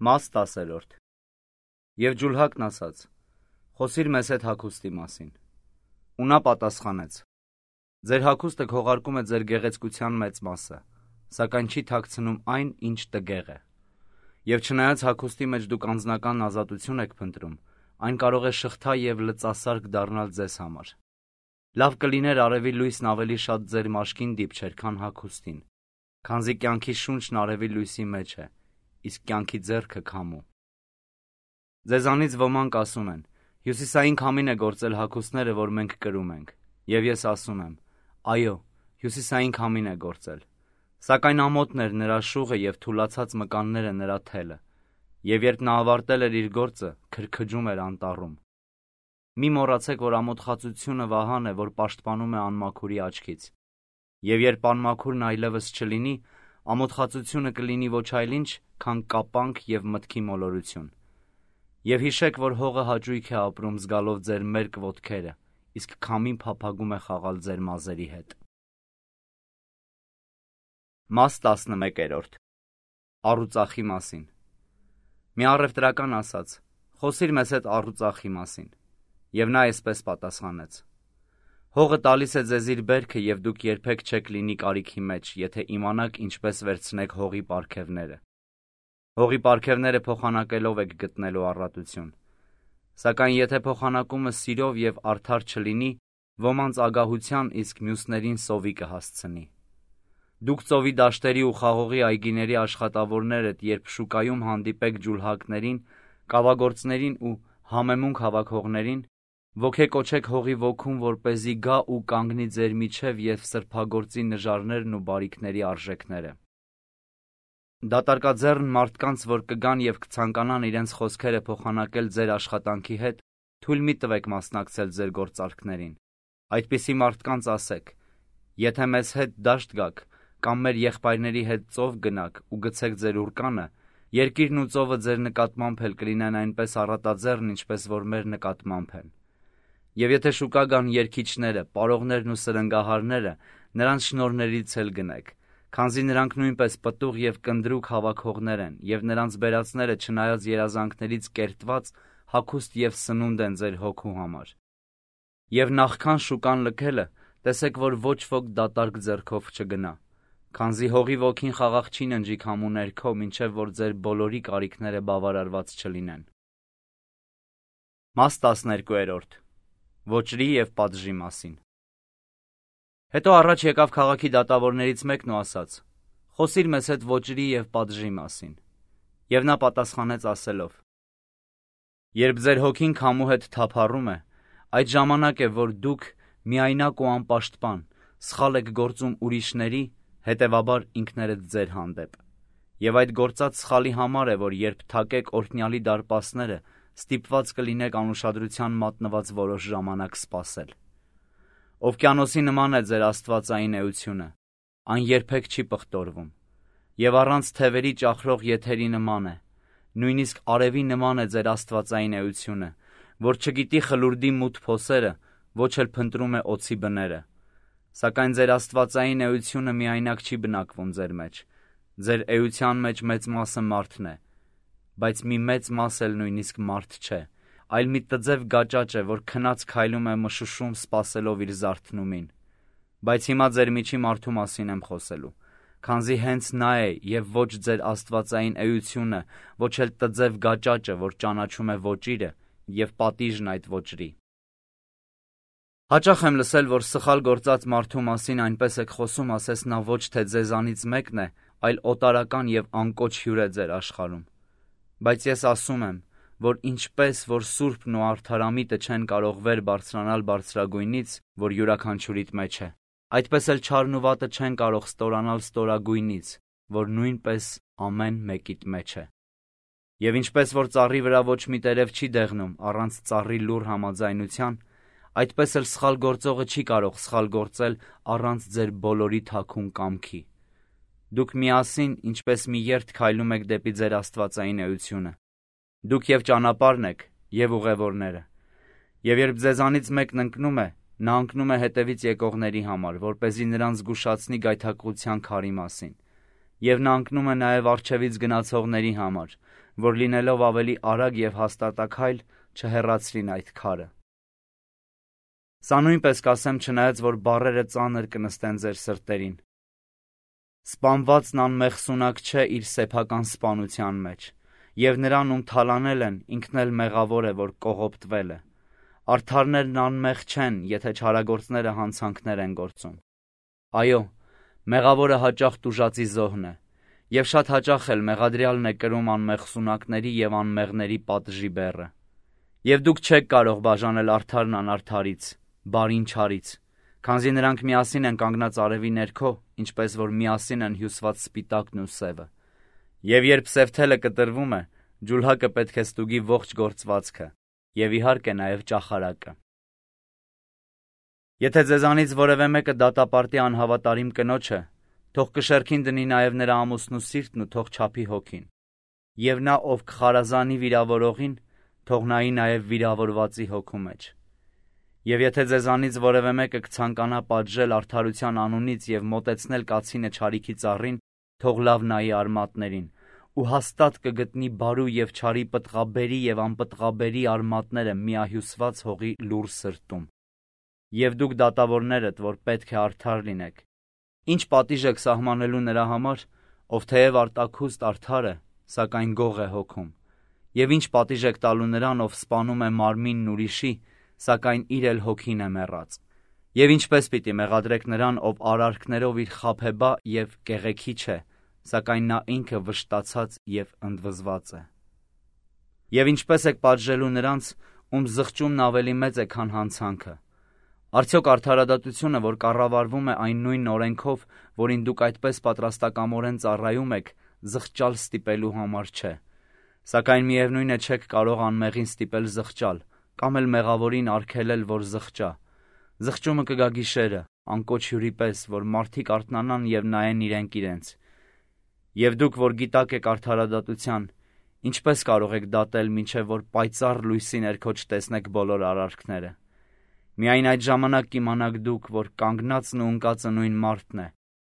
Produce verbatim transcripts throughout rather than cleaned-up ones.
Մաս տասերորդ Եվ ջուլհակն ասաց. խոսիր մեզ հետ հագուստի մասին։ Ու նա պատասխանեց. ձեր հագուստը քողարկում է ձեր գեղեցկության մեծ մասը, սակայն չի թաքցնում այն, ինչ տգեղ է։ Եվ չնայած հագուստի մեջ դուք անձնական ազատություն եք փնտրում, այն կարող է շղթա և լծասարք դառնալ ձեզ համար։ Լավ կլիներ արևի լույսն ավելի շատ ձեր մաշկին դիպչեր, քան հագուստին, քանզի կյանքի շունչն արևի լույսի մեջ է, իսկ կյանքի ձեռքը քամու։ Ձեզանից ոմանք ասում են. հյուսիսային քամին է գործել հագուստները, որ մենք կրում ենք, և ես ասում եմ. այո, հյուսիսային քամին է գործել, սակայն ամոթն էր նրա շուղը և թուլացած մկանները նրա թելը, և երբ նա ավարտել էր իր գործը, քրքջում էր անտառում։ Մի մոռացեք, որ ամոթխածությունը վահան է, որ պաշտպանում է անմաքուրի աչքից, և երբ անմաքուրն այլևս չլինի, ամոթխածությունը կլինի ոչ այլ ինչ, քան կապանք և մտքի մոլորություն։ Եվ հիշեք, որ հողը հաճույք է ապրում զգալով ձեր մերկ ոտքերը, իսկ քամին փափագում է խաղալ ձեր մազերի հետ։ Մաս տասնմեկերորդ Առուծախի մասին Մի առևտրական ասաց. խոսիր մեզ հետ առուծախի մասին, և նա այսպես պատասխանեց. հողը տալիս է ձեզ իր բերքը, և դուք երբեք չեք լինի կարիքի մեջ, եթե իմանաք ինչպես վերցնեք հողի պարգևները։ Հողի պարգևները փոխանակելով եք գտնելու առատություն, սակայն եթե փոխանակումը սիրով և արդար չլինի, ոմանց ագահության, իսկ մյուսներին սովի կհասցնի։ Դուք ծովի դաշտերի ու խաղողի այգիների աշխատավորներդ, երբ շուկայում հանդիպեք ջուլհակներին, կավագործներին ու համեմունք հավաքողներին, ոգեկոչեք հողի ոգուն, որպեսզի գա ու կանգնի ձեր միջև և սրբագործի նժարներն ու բարիքների արժեքները։ Դատարկաձեռն մարդկանց, որ կգան և կցանկանան իրենց խոսքերը փոխանակել ձեր աշխատանքի հետ, թույլ մի տվեք մասնակցել ձեր գործարքներին։ Այդպիսի մարդկանց ասեք. եթե մեզ հետ դաշտ գաք, կամ մեր եղբայրների հետ ծով գնաք ու գցեք ձեր ուռկանը, երկիրն ու ծովը ձեր նկատմամբ էլ կլինեն այնպես առատաձեռն, ինչպես որ մեր նկատմամբ են։ Եվ եթե շուկա գան երգիչները, պարողներն ու սրնգահարները, նրանց շնորհներից էլ գնեք, քանզի նրանք նույնպես պտուղ և կնդրուկ հավաքողներ են, և նրանց բերածները չնայած երազանքներից կերտված, հագուստ և սնունդ են ձեր հոգու համար։ Եվ նախքան շուկան լքելը, տեսեք, որ ոչ ոք դատարկ ձեռքով չգնա, քանզի հողի ոգին խաղաղ չի ննջի քամու ներքո, մինչև որ ձեր բոլորի կարիքները բավարարված չլինեն։ Մաս տասներկուերորդ Ոճրի և պատժի մասին Հետո առաջ եկավ քաղաքի դատավորներից մեկն ու ասաց. խոսիր մեզ հետ ոճրի և պատժի մասին։ Եվ նա պատասխանեց ասելով. երբ ձեր հոգին քամու հետ թափառում է, այդ ժամանակ է, որ դուք միայնակ ու անպաշտպան, սխալ եք գործում ուրիշների, հետևաբար ինքներդ ձեր հանդեպ։ Եվ այդ գործած սխալի համար է, որ երբ թակեք օրհնյալի դարպասները, ստիպված կլինեք անուշադրության մատնված որոշ ժամանակ սպասել։ Օվկիանոսի նման է ձեր աստվածային էությունը, այն երբեք չի պղտորվում, և առանց թևերի ճախրող եթերի նման է, նույնիսկ արևի նման է ձեր աստվածային էությունը, որ չգիտի խլուրդի մութ փոսերը, ոչ էլ փնտրում է օձի բները։ Սակայն ձեր աստվածային էությունը միայնակ չի բնակվում ձեր մեջ, ձեր էության մեջ մեծ մասը մարդն է, բայց մի մեծ մաս էլ նույնիսկ մարդ չէ, այլ մի տձև գաճաճ է, որ քնած քայլում է մշուշում սպասելով իր զարթնումին։ Բայց հիմա ձեր միջի մարդու մասին եմ խոսելու, քանզի հենց նա է և ոչ ձեր աստվածային էությունը, ոչ էլ տձև գաճաճը, որ ճանաչում է ոճիրը և պատիժն այդ ոճրի։ Հաճախ եմ լսել, որ սխալ գործած մարդու մասին այնպես եք խոսում, ասես նա ոչ թե ձեզանից մեկն է, այլ օտարական և անկոչ հյուր է ձեր աշխարհում։ Բայց ես ասում եմ, որ ինչպես որ սուրբն ու արդարամիտը չեն կարող վեր բարձրանալ բարձրագույնից, որ յուրաքանչյուրիդ մեջ է, այդպես էլ չարն ու վատը չեն կարող ստորանալ ստորագույնից, որ նույնպես ամեն մեկիդ մեջ է։ Եվ ինչպես որ ծառի վրա ոչ մի տերև չի դեղնում առանց ծառի լուռ համաձայնության, այդպես էլ սխալ գործողը չի կարող սխալ գործել առանց ձեր բոլորի թաքուն կամքի։ Դուք միասին, ինչպես մի երթ քայլում եք դեպի ձեր աստվածային էությունը։ Դուք և ճանապարհն եք, և ուղևորները։ Եվ երբ ձեզանից մեկն ընկնում է, նա ընկնում է հետևից եկողների համար, որպեսզի նրանց զգուշացնի գայթակղության քարի մասին։ Եվ նա ընկնում է նաև առջևից գնացողների համար, որ լինելով ավելի արագ և հաստատակայլ չհեռացրին այդ քարը։ Սա նույնպես կասեմ, չնայած որ բառերը ծանր կնստեն ձեր սրտերին։ Սպանվածն անմեղսունակ չէ իր սեփական սպանության մեջ, և նրան, ում թալանել են, ինքն էլ մեղավոր է, որ կողոպտվել է։ Արդարներն անմեղ չեն, եթե չարագործները հանցանքներ են գործում։ Այո, մեղավորը հաճախ տուժածի զոհն է, և շատ հաճախ էլ մեղադրյալն է կրում անմեղսունակների և անմեղների պատժի բեռը։ Եվ դուք չեք կարող բաժանել արդարն անարդարից, բարին չարից, քանզի նրանք միասին են կանգնած արևի ներքո, ինչպես որ միասին են հյուսված սպիտակն ու սևը։ Եվ երբ սև թելը կտրվում է, ջուլհակը պետք է ստուգի ողջ գործվածքը, և իհարկե նաև ճախարակը։ Եթե ձեզանից որևէ մեկը դատապարտի անհավատարիմ կնոջ է, թող կշեռքին դնի նաև նրա ամուսնու սիրտն ու թող չափի հոգին։ Եվ նա, ով կխարազանի վիրավորողին, թող նայի նաև վիրավորվածի հոգու մեջ։ Եվ եթե ձեզանից որևէ մեկը կցանկանա պատժել արդարության անունից և մոտեցնել կացինը չարիքի ծառին, թող լավ նայի արմատներին, ու հաստատ կգտնի բարու և չարի պտղաբերի և անպտղաբերի արմատները միահյուսված հողի լուռ սրտում։ Եվ դուք դատավորներդ, որ պետք է արդար լինեք, ի՞նչ պատիժ եք սահմանելու նրա համար, ով թեև արտաքուստ արդար է, սակայն գող է հոգում, և ի՞նչ պատիժ եք տալու նրան, ով սպանում է մարմինն ուրիշի, սակայն իր էլ հոգին է մեռած։ Եվ ինչպես պիտի մեղադրեք նրան, ով արարքներով իր խաբեբա և կեղեքի չէ, սակայն նա ինքը վշտացած և ընդվզված է։ Եվ ինչպես եք պատժելու նրանց, ում զղջումն ավելի մեծ է, քան հանցանքը։ Արդյոք արդարադատությունը, որ կառավարվում է այն նույն օրենքով, որին դուք այդպես պատրաստակամորեն ծառայում եք, զղջալ ստիպելու համար չէ։ Սակայն միևնույն է չեք կարող անմեղին ստիպել զղջալ, կամ էլ մեղավորին արգելել, որ զղջա։ Զղջումը կգա գիշերը, անկոչ հյուրի պես, որ մարդիկ արթնանան և նայեն իրենք իրենց։ Եվ դուք, որ գիտակ եք արդարադատության, ինչպես կարող եք դատել, մինչև որ պայծառ լույսի ներքո չտեսնեք բոլոր արարքները։ Միայն այդ ժամանակ կիմանաք դուք, որ կանգնածն ու ընկածը նույն մարդն է,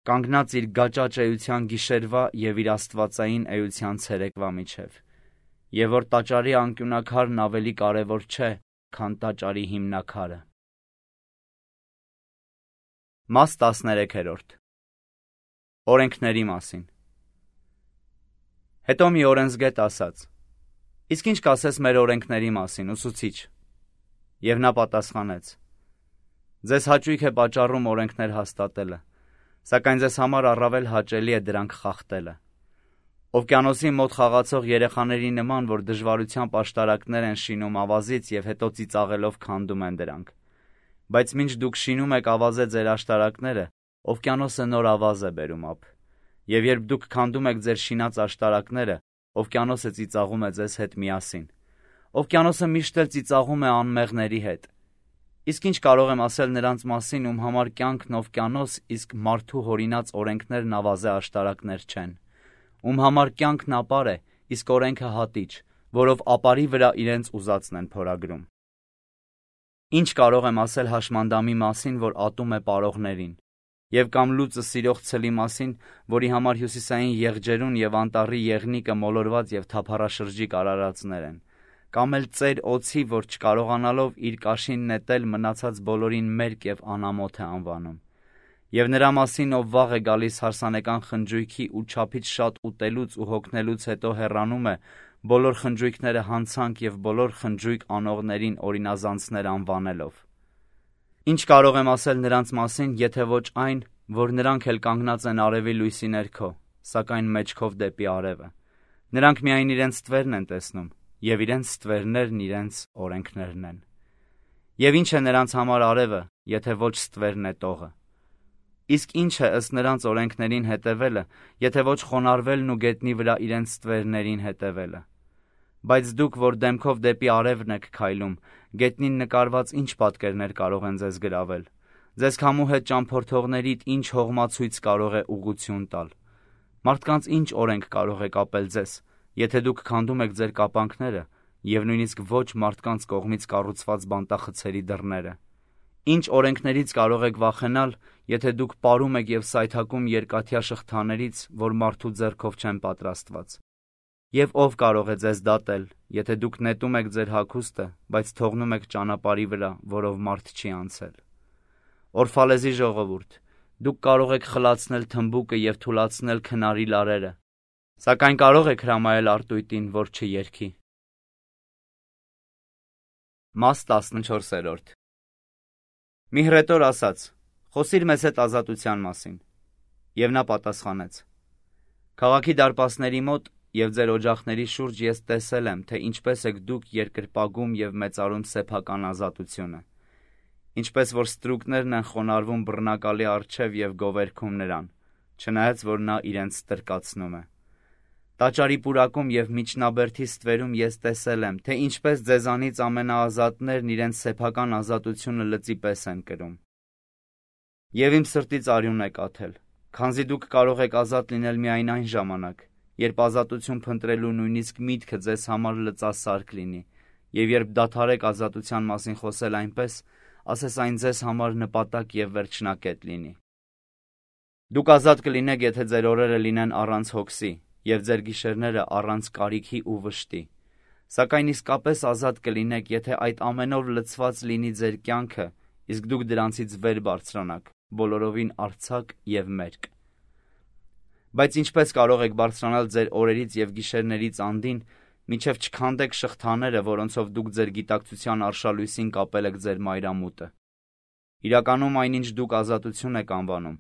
կանգնած իր գաճաճ էության գիշերվա և իր աստվածային էության ցերեկվա միջև, և որ տաճարի անկյունաքարն ավելի կարևոր չէ, քան տաճարի հիմնաքարը։ Մաս տասներեքերորդ Օրենքների մասին։ Հետո մի օրենսգետ ասաց. «Իսկ ինչ կասես մեր օրենքների մասին, ուսուցիչ»։ Եվ նա պատասխանեց. «Ձեզ հաճույք է պատճառում օրենքներ հաստատելը, սակայն ձեզ համար առավել հաճելի է դրանք խախտելը։ Օվկիանոսի մոտ խաղացող երեխաների նման, որ դժվարությամբ աշտարակներ են շինում ավազից և հետո ծիծաղելով քանդում են դրանք։ Բայց մինչ դուք շինում եք ավազե ձեր աշտարակները, օվկիանոսը նոր ավազ է բերում ափ։ Եվ երբ դուք քանդում եք ձեր շինած աշտարակները, օվկիանոսը ծիծաղում է ձեզ հետ միասին։ Օվկիանոսը միշտ էլ ծիծաղում է անմեղների հետ։ Իսկ ինչ կարող եմ ասել նրանց մասին, ում համար կյանքն օվկիանոս, իսկ մարդու հորինած օրենքներն ավազե աշտարակներ չեն, ում համար կյանքն ապար է, իսկ օրենքը հատիչ, որով ապարի վրա իրենց ուզածն են փորագրում։ Ինչ կարող եմ ասել հաշմանդամի մասին, որ ատում է պարողներին, և կամ լուծը սիրող ցլի մասին, որի համար հյուսիսային եղջերուն և անտառի եղնիկը մոլորված և թափառաշրջիկ արարածներ են, կամ էլ ծեր օձի, որ չկարողանալով իր կաշին նետել մնացած բոլորին մերկ և անամոթ է անվանում, և նրա մասին, ով վաղ է գալիս հարսանեկան խնջույքի ու չափից շատ ուտելուց ու հոգնելուց հետո հեռանում է, բոլոր խնջույքները հանցանք և բոլոր խնջույք անողներին օրինազանցներ անվանելով։ Ինչ կարող եմ ասել նրանց մասին, եթե ոչ այն, որ նրանք էլ կանգնած են արևի լույսի ներքո, սակայն մեջքով դեպի արևը։ Նրանք միայն իրենց ստվերն են տեսնում, և իրենց ստվերներն իրենց օրենքներն են։ Եվ ինչ է նրանց համար արևը, եթե ոչ ստվերն է տողը։ Իսկ ինչ է ըստ նրանց օրենքներին հետևելը, եթե ոչ խոնարհվելն ու գետնի վրա իրենց ստվերներին հետևելը։ Բայց դուք, որ դեմքով դեպի արևն եք քայլում, գետնին նկարված ինչ պատկերներ կարող են ձեզ գրավել։ Ձեզ քամու հետ ճամփորդողներիդ ինչ հողմացույց կարող է ուղղություն տալ։ Մարդկանց ինչ օրենք կարող է կապել ձեզ, եթե դուք քանդում եք ձեր կապանքները և նույնիսկ ոչ մարդկանց կողմից կառուցված բանտախցերի դռները։ Ինչ օրենքներից կարող եք վախենալ, եթե դուք պարում եք և սայթաքում երկաթյա շղթաներից, որ մարդու ձեռքով չեն պատրաստված։ Եվ ով կարող է ձեզ դատել, եթե դուք նետում եք ձեր հագուստը, բայց թողնում եք ճանապարհի վրա, որով մարդ չի անցել։ Օրֆալեզի ժողովուրդ, դուք կարող եք խլացնել թմբուկը և թուլացնել քնարի լարերը, սակայն կարող եք հրամայել արտույտին, որ չերգի։ Մաս տասնչորսերորդ Մի հռետոր ասաց. «Խոսիր մեզ հետ ազատության մասին»։ Եվ նա պատասխանեց. «Քաղաքի դարպասների մոտ և ձեր օջախների շուրջ ես տեսել եմ, թե ինչպես եք դուք երկրպագում և մեծարում սեփական ազատությունը, ինչպես որ ստրուկներն են խոնարհվում բռնակալի առջև և գովերգում նրան, չնայած որ նա իրենց ստրկացնում է։ Տաճարի պուրակում և միջնաբերդի ստվերում ես տեսել եմ, թե ինչպես ձեզանից ամենաազատներն իրենց սեփական ազատությունը լծի պես են կրում։ Եվ իմ սրտից արյուն է կաթել, քանզի դուք կարող եք ազատ լինել միայն այն ժամանակ, երբ ազատություն փնտրելու նույնիսկ միտքը ձեզ համար լծասարք լինի, և երբ դադարեք ազատության մասին խոսել այնպես, ասես այն ձեզ համար նպատակ և վերջնակետ լինի։ Դուք ազատ կլինեք, եթե ձեր օրերը լինեն առանց հոգսի, և ձեր գիշերները առանց կարիքի ու վշտի, սակայն իսկապես ազատ կլինեք, եթե այդ ամենով լցված լինի ձեր կյանքը, իսկ դուք դրանցից վեր բարձրանաք, բոլորովին արձակ և մերկ։ Բայց ինչպես կարող եք բարձրանալ ձեր օրերից և գիշերներից անդին, մինչև չքանդեք շղթաները, որոնցով դուք ձեր գիտակցության արշալույսին կապել եք ձեր մայրամուտը։ Իրականում այնինչ դուք ազատություն եք անվանում,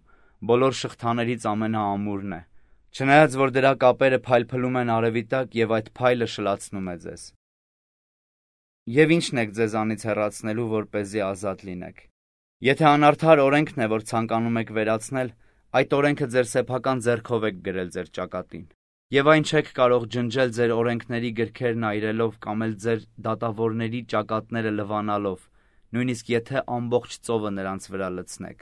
բոլոր շղթաներից ամենաամուրն է, չնայած որ դրա կապերը փայլփլում են արևի տակ և այդ փայլը շլացնում է ձեզ։ Եվ ի՞նչն եք ձեզանից հեռացնելու, որպեսզի ազատ լինեք։ Եթե անարդար օրենքն է, որ ցանկանում եք վերացնել, այդ օրենքը ձեր սեփական ձեռքով եք գրել ձեր ճակատին, և այն չեք կարող ջնջել ձեր օրենքների գրքերն այրելով կամ էլ ձեր դատավորների ճակատները լվանալով, նույնիսկ եթե ամբողջ ծովը նրանց վրա լցնեք։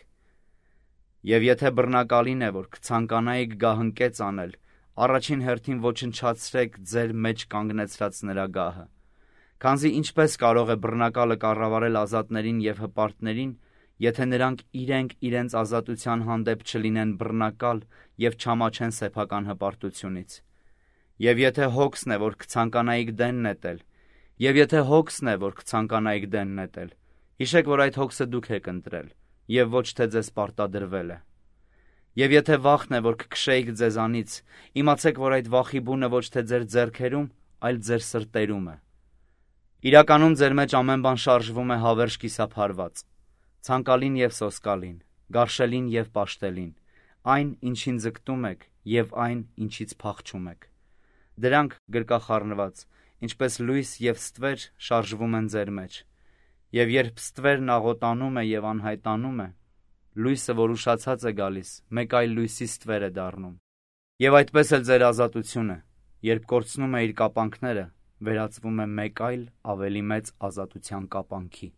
Եվ եթե բռնակալին է, որ կցանկանայիք գահընկեց անել, առաջին հերթին ոչնչացրեք ձեր մեջ կանգնեցրած նրա գահը, քանզի ինչպես կարող է բռնակալը կառավարել ազատներին և հպարտներին, եթե նրանք իրենք իրենց ազատության հանդեպ չլինեն բռնակալ և չամաչեն սեփական հպարտությունից։ Եվ եթե հոգսն է, որ կցանկանայիք դեն նետել, և եթե հոգսն է, որ կցանկանայիք դեն նետել, հիշեք, որ այդ հոգսը դուք եք ընտրել, և ոչ թե ձեզ պարտադրվել է։ Եվ եթե վախն է, որ կքշեիք ձեզանից, իմացեք, որ այդ վախի բունը ոչ թե ձեր ձեռքերում, այլ ձեր սրտերում է։ Իրականում ձեր մեջ ամեն բան շարժվում է հավերժ կիսափարված, ցանկալին և սոսկալին, գարշելին և պաշտելին, այն, ինչին ձգտում եք, և այն, ինչից փախչում եք։ Դրանք գրկախառնված, ինչպես լույս և ստվեր, շարժվում են ձեր մեջ, և երբ ստվերն աղոտանում է և անհայտանում է, լույսը, որ ուշացած է գալիս, մեկ այլ լույսի ստվեր է դառնում։ Եվ այդպես էլ ձեր ազատությունը, երբ կորցնում է իր կապանքները, վերածվում է մեկ այլ ավելի մեծ ազատության կապանքի։